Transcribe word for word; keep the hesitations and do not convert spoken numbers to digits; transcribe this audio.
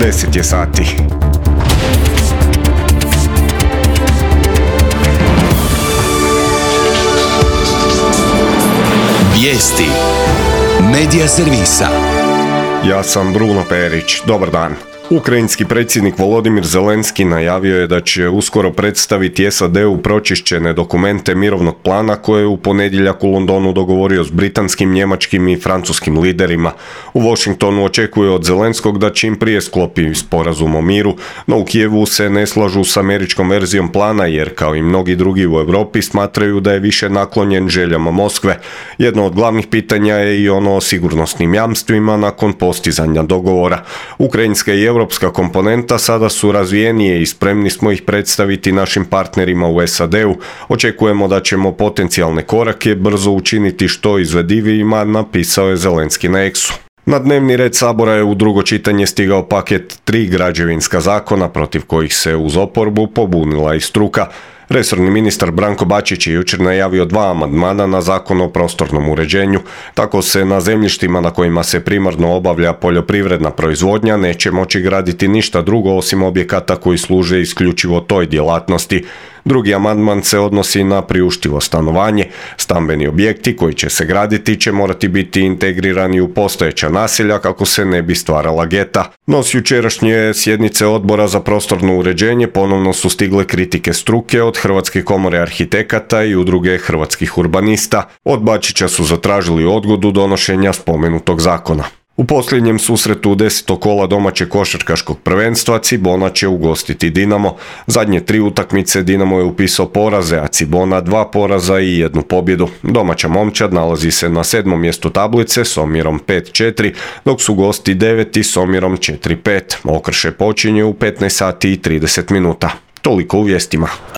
deset je sati. Vijesti Medija servisa. Ja sam Bruno Perić. Dobar dan. Ukrajinski predsjednik Volodimir Zelenski najavio je da će uskoro predstaviti S A D-u pročišćene dokumente mirovnog plana koje je u ponedjeljak u Londonu dogovorio s britanskim, njemačkim i francuskim liderima. U Washingtonu očekuje od Zelenskog da čim prije sklopi sporazum o miru, no u Kijevu se ne slažu s američkom verzijom plana jer, kao i mnogi drugi u Europi, smatraju da je više naklonjen željama Moskve. Jedno od glavnih pitanja je i ono o sigurnosnim jamstvima nakon postizanja dogovora. Ukrajinska i europska komponenta sada su razvijenije i spremni smo ih predstaviti našim partnerima u S A D-u. Očekujemo da ćemo potencijalne korake brzo učiniti što izvedivijima, napisao je Zelenski na X-u. Na dnevni red Sabora je u drugo čitanje stigao paket tri građevinska zakona protiv kojih se uz oporbu pobunila i struka. Resorni ministar Branko Bačić je jučer najavio dva amandmana na Zakon o prostornom uređenju. Tako se na zemljištima na kojima se primarno obavlja poljoprivredna proizvodnja neće moći graditi ništa drugo osim objekata koji služe isključivo toj djelatnosti. Drugi amandman se odnosi na priuštivo stanovanje. Stambeni objekti koji će se graditi će morati biti integrirani u postojeća naselja kako se ne bi stvarala geta. No s jučerašnje sjednice Odbora za prostorno uređenje ponovno su stigle kritike struke od Hrvatske komore arhitekata i udruge hrvatskih urbanista. Od Bačića su zatražili odgodu donošenja spomenutog zakona. U posljednjem susretu desetog kola domaćeg košarkaškog prvenstva Cibona će ugostiti Dinamo. Zadnje tri utakmice Dinamo je upisao poraze, a Cibona dva poraza i jednu pobjedu. Domaća momčad nalazi se na sedmom mjestu tablice s omjerom pet četiri, dok su gosti deveti s omjerom četiri pet. Okršaj počinje u petnaest sati i trideset minuta. Toliko u vijestima.